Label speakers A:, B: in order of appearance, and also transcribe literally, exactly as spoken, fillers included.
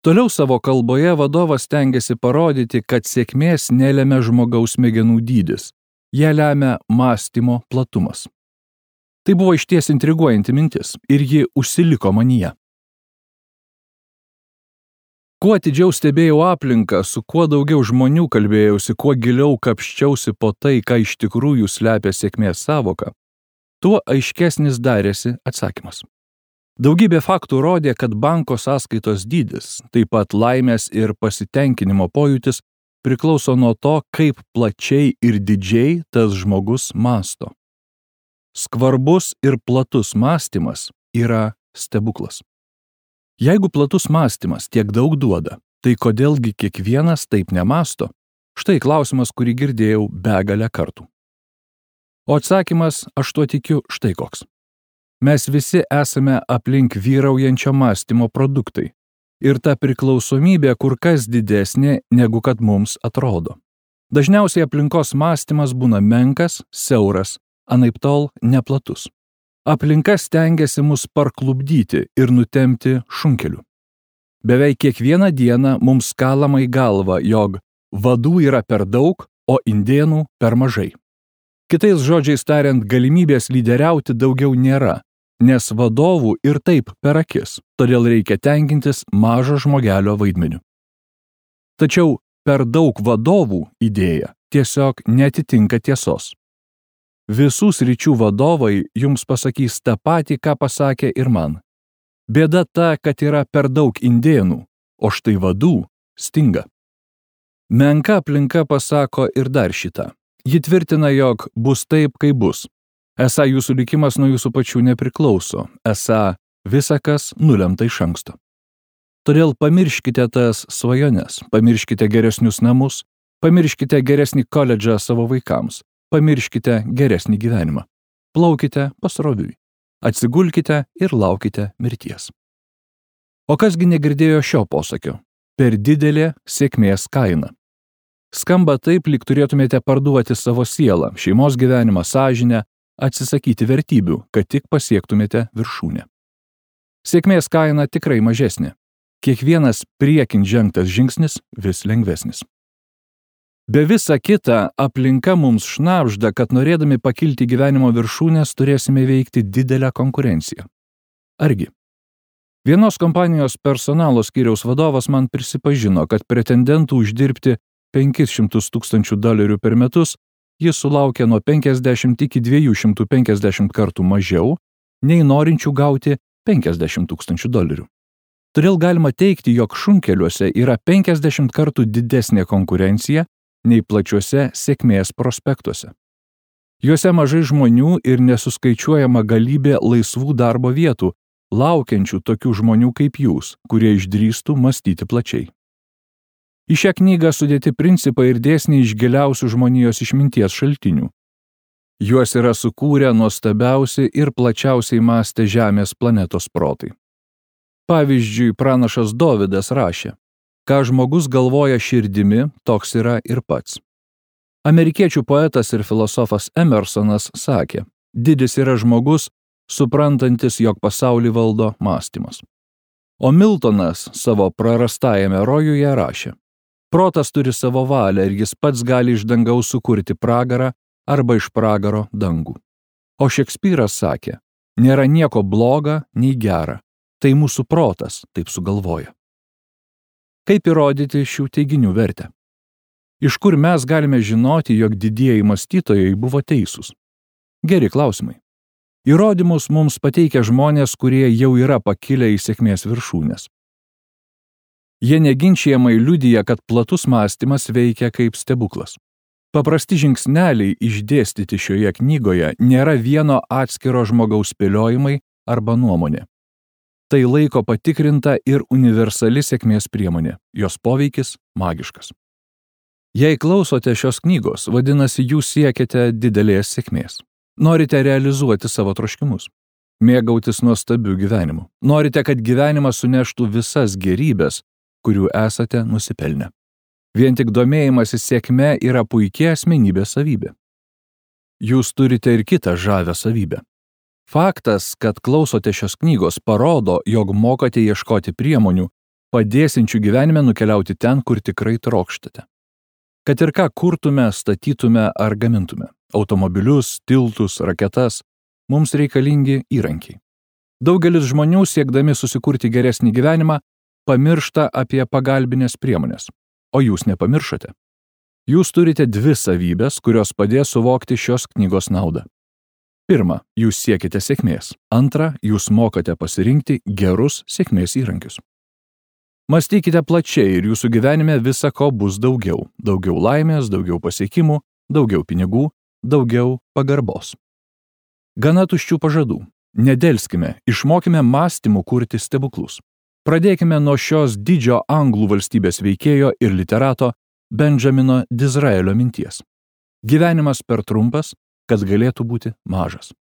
A: Toliau savo kalboje vadovas stengiasi parodyti, kad sėkmės nelemia žmogaus smegenų dydis, ją lemia mąstymo platumas. Tai buvo išties intriguojanti mintis ir ji užsiliko manyje. Kuo atidžiau stebėjau aplinką, su kuo daugiau žmonių kalbėjausi, kuo giliau kapščiausi po tai, ką iš tikrųjų slepia sėkmės sąvoka, tuo aiškesnis darėsi atsakymas. Daugybė faktų rodė, kad banko sąskaitos dydis, taip pat laimės ir pasitenkinimo pojūtis priklauso nuo to, kaip plačiai ir didžiai tas žmogus mąsto. Skvarbus ir platus mąstymas yra stebuklas. Jeigu platus mąstymas tiek daug duoda, tai kodėlgi kiekvienas taip nemąsto? Štai klausimas, kurį girdėjau begalę kartų. O atsakymas, aš tuo tikiu, štai koks. Mes visi esame aplink vyraujančio mąstymo produktai. Ir ta priklausomybė kur kas didesnė, negu kad mums atrodo. Dažniausiai aplinkos mąstymas būna menkas, siauras, anaiptol neplatus. Aplinka stengiasi mus parklupdyti ir nutempti šunkeliu. Beveik kiekvieną dieną mums kalama į galvą, jog vadų yra per daug, o indėnų per mažai. Kitais žodžiais tariant, galimybės lyderiauti daugiau nėra, nes vadovų ir taip per akis, todėl reikia tenkintis mažo žmogelio vaidmeniu. Tačiau per daug vadovų idėja tiesiog netitinka tiesos. Visų sričių vadovai jums pasakys tą patį, ką pasakė ir man. Bėda ta, kad yra per daug indėnų, o štai vadų stinga. Menka aplinka pasako ir dar šitą. Ji tvirtina, jog bus taip, kaip bus. Esą jūsų likimas nuo jūsų pačių nepriklauso, esą visa kas nulemta iš anksto. Todėl pamirškite tas svajones, pamirškite geresnius namus, pamirškite geresnį koledžą savo vaikams, pamirškite geresnį gyvenimą. Plaukite pasroviui, atsigulkite ir laukite mirties. O kasgi negirdėjo šio posakio? Per didelė sėkmės kaina. Skamba taip, lyg turėtumėte parduoti savo sielą, šeimos gyvenimą, sąžinę, atsisakyti vertybių, kad tik pasiektumėte viršūnę. Sėkmės kaina tikrai mažesnė. Kiekvienas priekin žengtas žingsnis vis lengvesnis. Be visa kita, aplinka mums šnabžda, kad norėdami pakilti gyvenimo viršūnės turėsime veikti didelę konkurenciją. Argi? Vienos kompanijos personalo skyriaus vadovas man prisipažino, kad pretendentų uždirbti penkis šimtus tūkstančių dolerių per metus jis sulaukė nuo penkiasdešimt iki dviejų šimtų penkiasdešimt kartų mažiau, nei norinčių gauti penkiasdešimt tūkstančių dolerių. Todėl galima teigti, jog šunkeliuose yra penkiasdešimt kartų didesnė konkurencija nei plačiuose sėkmės prospektuose. Juose mažai žmonių ir nesuskaičiuojama galybė laisvų darbo vietų, laukiančių tokių žmonių kaip jūs, kurie išdrįstų mąstyti plačiai. Į šią knygą sudėti principai ir dėsniai iš giliausių žmonijos išminties šaltinių. Juos yra sukūrę nuostabiausi ir plačiausiai mąstę Žemės planetos protai. Pavyzdžiui, pranašas Dovydas rašė, ką žmogus galvoja širdimi, toks yra ir pats. Amerikiečių poetas ir filosofas Emersonas sakė, didis yra žmogus, suprantantis, jog pasaulį valdo mąstymas. O Miltonas savo prarastajame rojuje rašė, protas turi savo valią ir jis pats gali iš dangaus sukurti pragarą arba iš pragaro dangų. O Šekspyras sakė, nėra nieko bloga nei gera, tai mūsų protas taip sugalvoja. Kaip įrodyti šių teiginių vertę? Iš kur mes galime žinoti, jog didieji mąstytojai buvo teisūs? Geri klausimai. Įrodymus mums pateikia žmonės, kurie jau yra pakilę į sėkmės viršūnės. Jie neginčijamai liudija, kad platus mąstymas veikia kaip stebuklas. Paprasti žingsneliai išdėstyti šioje knygoje nėra vieno atskiro žmogaus spėliojimai arba nuomonė. Tai laiko patikrinta ir universali sėkmės priemonė, jos poveikis magiškas. Jei klausote šios knygos, vadinasi, jūs siekiate didelės sėkmės. Norite realizuoti savo troškimus, mėgautis nuostabiu gyvenimu. Norite, kad gyvenimas suneštų visas gerybės, kurių esate nusipelnę. Vien tik domėjimasis sėkme yra puikia asmenybės savybė. Jūs turite ir kitą žavę savybę. Faktas, kad klausote šios knygos, parodo, jog mokate ieškoti priemonių, padėsiančių gyvenime nukeliauti ten, kur tikrai trokštate. Kad ir ką kurtume, statytume ar gamintume – automobilius, tiltus, raketas – mums reikalingi įrankiai. Daugelis žmonių, siekdami susikurti geresnį gyvenimą, pamiršta apie pagalbinės priemonės. O jūs nepamiršote. Jūs turite dvi savybės, kurios padės suvokti šios knygos naudą. Pirma, jūs siekite sėkmės. Antra, jūs mokate pasirinkti gerus sėkmės įrankius. Mąstykite plačiai ir jūsų gyvenime visa ko bus daugiau. Daugiau laimės, daugiau pasiekimų, daugiau pinigų, daugiau pagarbos. Gana tuščių pažadų. Nedelskime, išmokime mąstymų kurti stebuklus. Pradėkime nuo šios didžio anglų valstybės veikėjo ir literato Benjamino Disraelio minties. Gyvenimas per trumpas, kad galėtų būti mažas.